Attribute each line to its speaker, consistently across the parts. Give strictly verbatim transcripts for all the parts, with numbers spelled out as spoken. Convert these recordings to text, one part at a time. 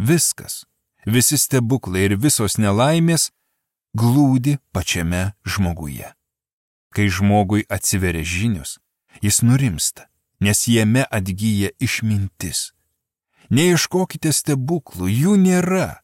Speaker 1: viskas, visi stebuklai ir visos nelaimės glūdi pačiame žmoguje. Kai žmogui atsiveria žinios, jis nurimsta, nes jame atgyja išmintis. Neieškokite stebuklų, jų nėra.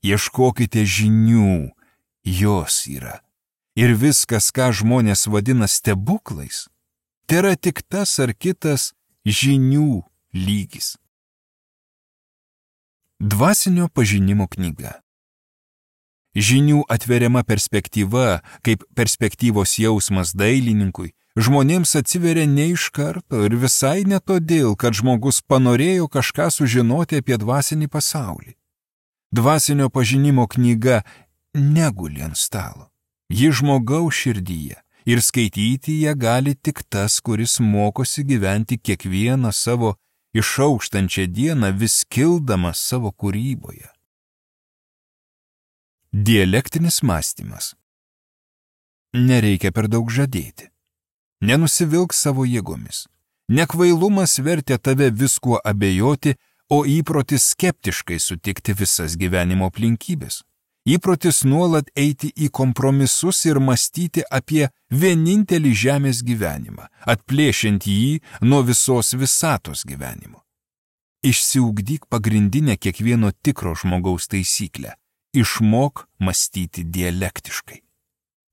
Speaker 1: Ieškokite žinių, jos yra. Ir viskas, ką žmonės vadina stebuklais, tai yra tik tas ar kitas žinių lygis. Dvasinio pažinimo knyga. Žinių atveriama perspektyva, kaip perspektyvos jausmas dailininkui, žmonėms atsiveria ne iš karto ir visai ne todėl, kad žmogus panorėjo kažką sužinoti apie dvasinį pasaulį. Dvasinio pažinimo knyga neguli ant stalo. Ji žmogaus širdyje ir skaityti ją gali tik tas, kuris mokosi gyventi kiekvieną savo išaukštančią dieną, vis kildamas savo kūryboje. Dialektinis mąstymas. Nereikia per daug žadėti. Nenusivilk savo jėgomis. Nekvailumas vertė tave viskuo abejoti, o įprotis skeptiškai sutikti visas gyvenimo aplinkybės. Įprotis nuolat eiti į kompromisus ir mąstyti apie vienintelį žemės gyvenimą, atplėšiant jį nuo visos visatos gyvenimo. Išsiugdyk pagrindinę kiekvieno tikro žmogaus taisyklę. Išmok mąstyti dialektiškai.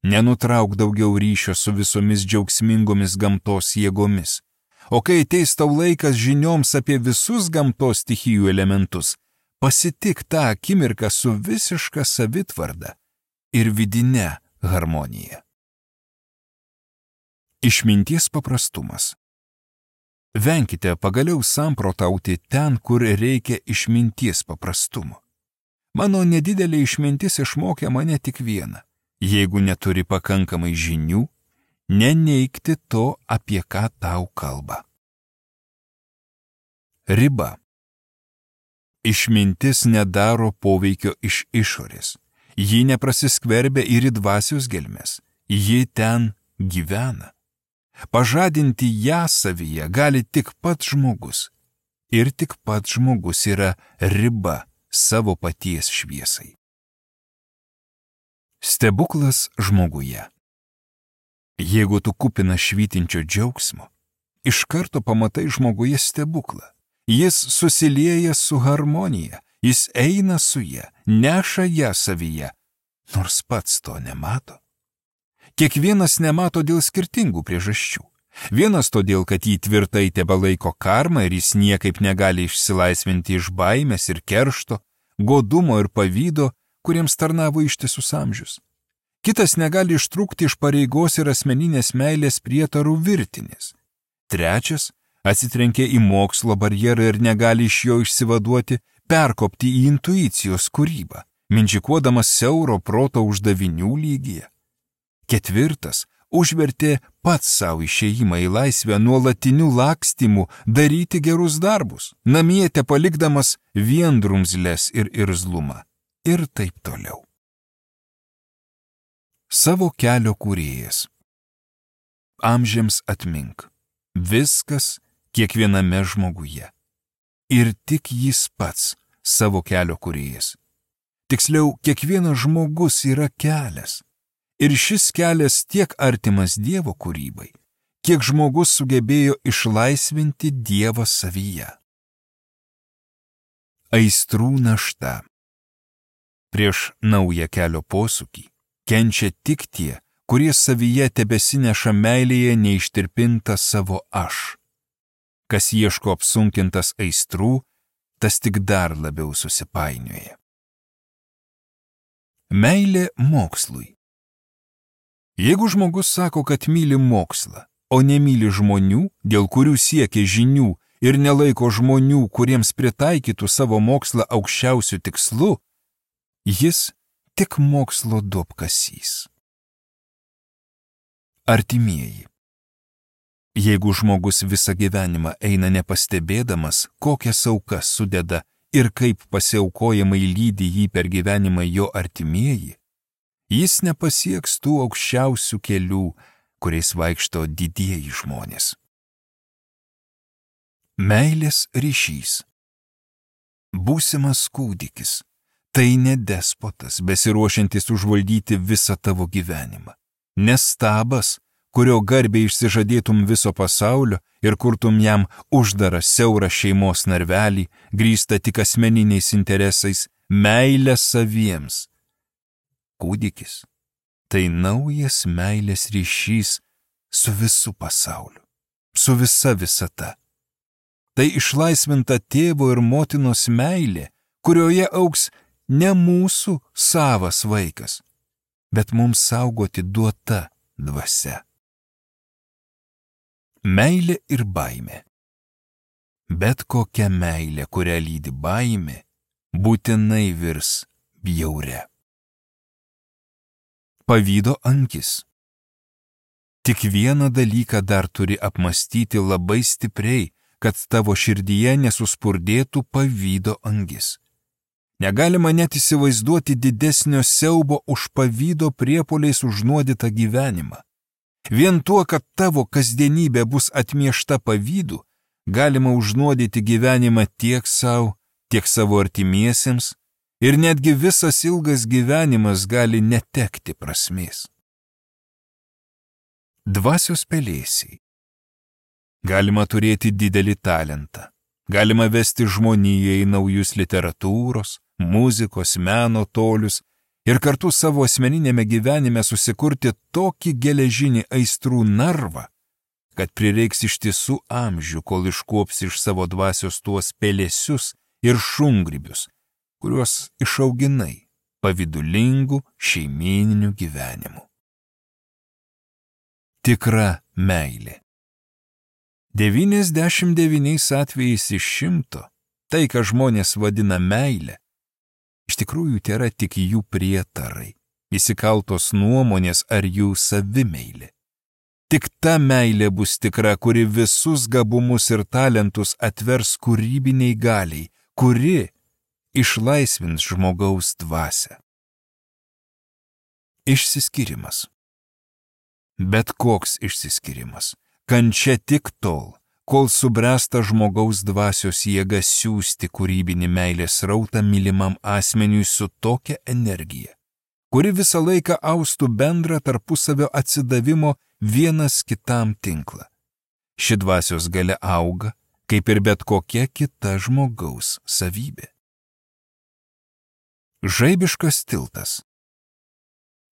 Speaker 1: Nenutrauk daugiau ryšio su visomis džiaugsmingomis gamtos jėgomis. O kai ateis tau laikas žinioms apie visus gamtos stichijų elementus, pasitik tą akimirką su visiška savitvarda ir vidine harmonija. Išminties paprastumas. Venkite pagaliau samprotauti ten, kur reikia išminties paprastumo. Mano nedidelė išmintis išmokė mane tik vieną. Jeigu neturi pakankamai žinių, neneigti to, apie ką tau kalba. Riba. Išmintis nedaro poveikio iš išorės. Ji neprasiskverbia ir į dvasios gelmes. Ji ten gyvena. Pažadinti ją savyje gali tik pats žmogus. Ir tik pats žmogus yra riba savo paties šviesai. Stebuklas žmoguje. Jeigu tu kupinas švytinčio džiaugsmo, iš karto pamatai žmoguje stebuklą. Jis susilieja su harmonija, jis eina su ja, neša ją savyje, nors pats to nemato. Kiekvienas nemato dėl skirtingų priežasčių. Vienas todėl, kad jį tvirtai tebelaiko karma ir jis niekaip negali išsilaisvinti iš baimės ir keršto, godumo ir pavydo, kuriems tarnavo ištisus amžius. Kitas negali ištrūkti iš pareigos ir asmeninės meilės prietarų virtinės. Trečias atsitrenkia į mokslo barjerą ir negali iš jo išsivaduoti, perkopti į intuicijos kūrybą, mindžikuodamas siauro proto uždavinių lygyje. Ketvirtas užvertė pats savo išėjimą į laisvę nuolatinių lakstymų daryti gerus darbus, namie palikdamas vien drumzles ir irzlumą. Ir taip toliau. Savo kelio kūrėjas. Amžiams atmink. Viskas kiekviename žmoguje. Ir tik jis pats savo kelio kūrėjas. Tiksliau, kiekvienas žmogus yra kelias. Ir šis kelias tiek artimas Dievo kūrybai, kiek žmogus sugebėjo išlaisvinti Dievą savyje. Aistrų našta. Prieš naują kelio posūkį kenčia tik tie, kurie savyje tebesineša meilėje neištirpintą savo aš. Kas ieško apsunkintas aistrų, tas tik dar labiau susipainioja. Meilė mokslui. Jeigu žmogus sako, kad myli mokslą, o nemyli žmonių, dėl kurių siekia žinių ir nelaiko žmonių, kuriems pritaikytų savo mokslą aukščiausių tikslų, jis tik mokslo duobkasys. Artimieji. Jeigu žmogus visą gyvenimą eina nepastebėdamas, kokias aukas sudeda ir kaip pasiaukojamai lydi jį per gyvenimą jo artimieji, jis nepasieks tų aukščiausių kelių, kuriais vaikšto didieji žmonės. Meilės ryšys. Būsimas kūdikis – tai ne despotas, besiruošiantis užvaldyti visą tavo gyvenimą. Ne stabas, kurio garbė išsižadėtum viso pasaulio ir kurtum jam uždarą siaurą šeimos narvelį, grįstą tik asmeniniais interesais, meilę saviems. Kūdikis – tai naujas meilės ryšys su visu pasauliu, su visa visata. Tai išlaisvinta tėvo ir motinos meilė, kurioje augs ne mūsų savas vaikas, bet mums saugoti duota dvasia. Meilė ir baimė. Bet kokia meilė, kurią lydi baimė, būtinai virs bjauria. Pavydo angis. Tik vieną dalyką dar turi apmastyti labai stipriai, kad tavo širdyje nesuspurdėtų pavydo angis. Negalima net įsivaizduoti didesnio siaubo už pavydo priepuoliais užnuodytą gyvenimą. Vien tuo, kad tavo kasdienybė bus atmiešta pavydu, galima užnuodyti gyvenimą tiek savo, tiek savo artimiesiems, ir netgi visas ilgas gyvenimas gali netekti prasmės. Dvasios pelėsiai. Galima turėti didelį talentą, galima vesti žmoniją į naujus literatūros, muzikos, meno tolius ir kartu savo asmeninėme gyvenime susikurti tokį geležinį aistrų narvą, kad prireiks ištisų amžių, kol iškuopsi iš savo dvasios tuos pelėsius ir šungrybius, kuriuos išauginai pavydulingų šeimyninių gyvenimų. Tikra meilė. devyniasdešimt devyniais atvejais iš šimto tai, ką žmonės vadina meilė, iš tikrųjų tėra tik jų prietarai, įsikaltos nuomonės ar jų savimeilė. Tik ta meilė bus tikra, kuri visus gabumus ir talentus atvers kūrybiniai galiai, kuri išlaisvins žmogaus dvasią. Išsiskyrimas. Bet koks išsiskyrimas. Kančia tik tol, kol subręsta žmogaus dvasios jėga siųsti kūrybinį meilės rautą mylimam asmeniui su tokia energija, kuri visą laiką austų bendrą tarpusavio atsidavimo vienas kitam tinklą. Ši dvasios galia auga, kaip ir bet kokia kita žmogaus savybė. Žaibiškas tiltas.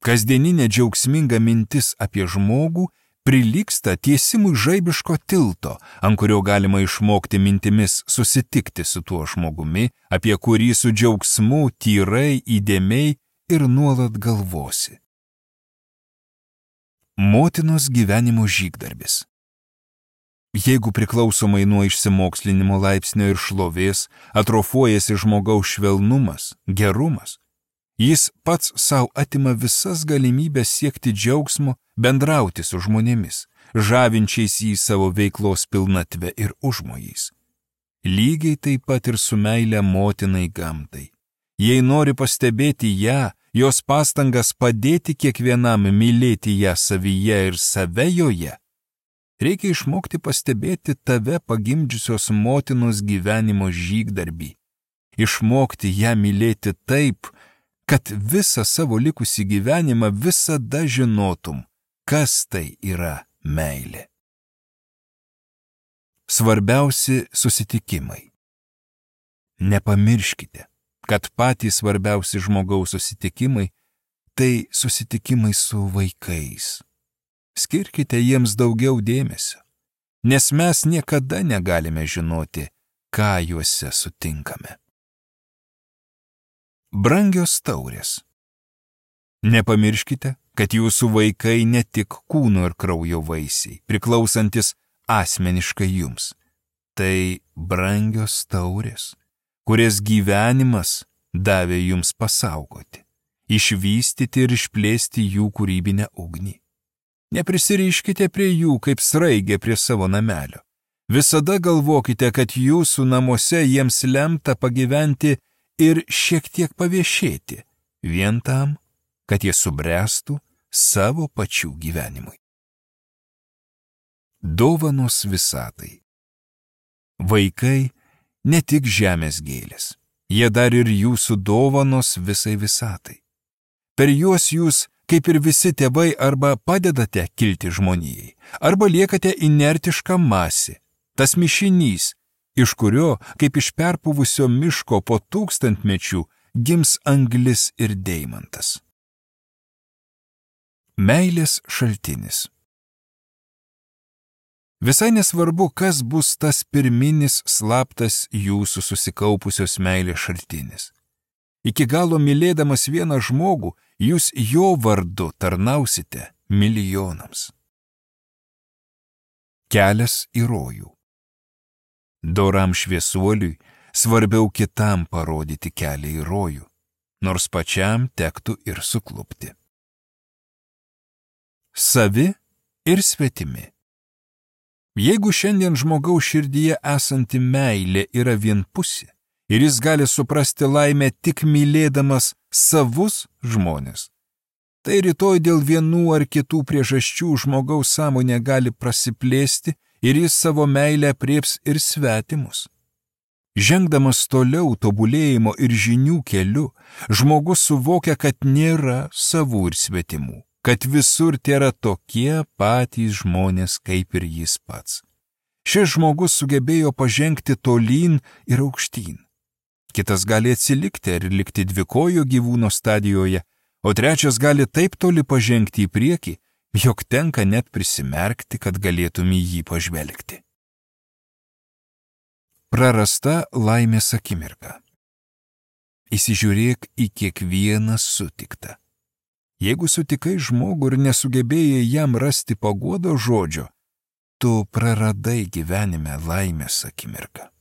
Speaker 1: Kasdieninė džiaugsminga mintis apie žmogų prilygsta tiesimui žaibiško tilto, ant kurio galima išmokti mintimis susitikti su tuo žmogumi, apie kurį su džiaugsmu, tyrai, įdėmiai ir nuolat galvosi. Motinos gyvenimo žygdarbis. Jeigu priklausomai nuo išsimokslinimo laipsnio ir šlovės atrofuojasi žmogaus švelnumas, gerumas, jis pats savo atima visas galimybės siekti džiaugsmo, bendrauti su žmonėmis, žavinčiais jį savo veiklos pilnatvę ir užmojais. Lygiai taip pat ir su meile motinai gamtai. Jei nori pastebėti ją, jos pastangas padėti kiekvienam mylėti ją savyje ir save joje, reikia išmokti pastebėti tave pagimdžiusios motinos gyvenimo žygdarbį, išmokti ją mylėti taip, kad visą savo likusį gyvenimą visada žinotum, kas tai yra meilė. Svarbiausi susitikimai. Nepamirškite, kad patys svarbiausi žmogaus susitikimai – tai susitikimai su vaikais. Skirkite jiems daugiau dėmesio, nes mes niekada negalime žinoti, ką juose sutinkame. Brangios taurės. Nepamirškite, kad jūsų vaikai ne tik kūno ir kraujo vaisiai, priklausantis asmeniškai jums. Tai brangios taurės, kurias gyvenimas davė jums pasaugoti, išvystyti ir išplėsti jų kūrybinę ugnį. Neprisiriškite prie jų kaip sraigė prie savo namelio. Visada galvokite, kad jūsų namuose jiems lemta pagyventi ir šiek tiek paviešėti, vien tam, kad jie subręstų savo pačių gyvenimui. Dovanos visatai. Vaikai ne tik žemės gėlės, Jie dar ir jūsų dovanos visai visatai. Per juos jūs, kaip ir visi tėvai, arba padedate kilti žmonijai, arba liekate inertiška masė, tas mišinys, iš kurio, kaip iš perpuvusio miško po tūkstantmečių, gims anglis ir deimantas. Meilės šaltinis. Visai nesvarbu, kas bus tas pirminis slaptas jūsų susikaupusios meilės šaltinis. Iki galo mylėdamas vieną žmogų, jūs jo vardu tarnausite milijonams. Kelias į rojų. Doram šviesuoliui svarbiau kitam parodyti kelią į rojų, nors pačiam tektų ir suklupti. Savi ir svetimi. Jeigu šiandien žmogaus širdyje esanti meilė yra vienpusė ir jis gali suprasti laimę tik mylėdamas savus žmonės, tai rytoj dėl vienų ar kitų priežasčių žmogaus sąmonė gali prasiplėsti ir jis savo meilę aprėps ir svetimus. Žengdamas toliau tobulėjimo ir žinių keliu, žmogus suvokia, kad nėra savų ir svetimų, kad visur tėra tokie patys žmonės kaip ir jis pats. Šis žmogus sugebėjo pažengti tolyn ir aukštyn. Kitas gali atsilikti ar likti dvikojo gyvūno stadijoje, o trečias gali taip toli pažengti į priekį, jog tenka net prisimerkti, kad galėtum į jį pažvelgti. Prarasta laimės akimirka. Įsižiūrėk į kiekvieną sutiktą. Jeigu sutikai žmogų ir nesugebėjai jam rasti paguodos žodžio, tu praradai gyvenime laimės akimirką.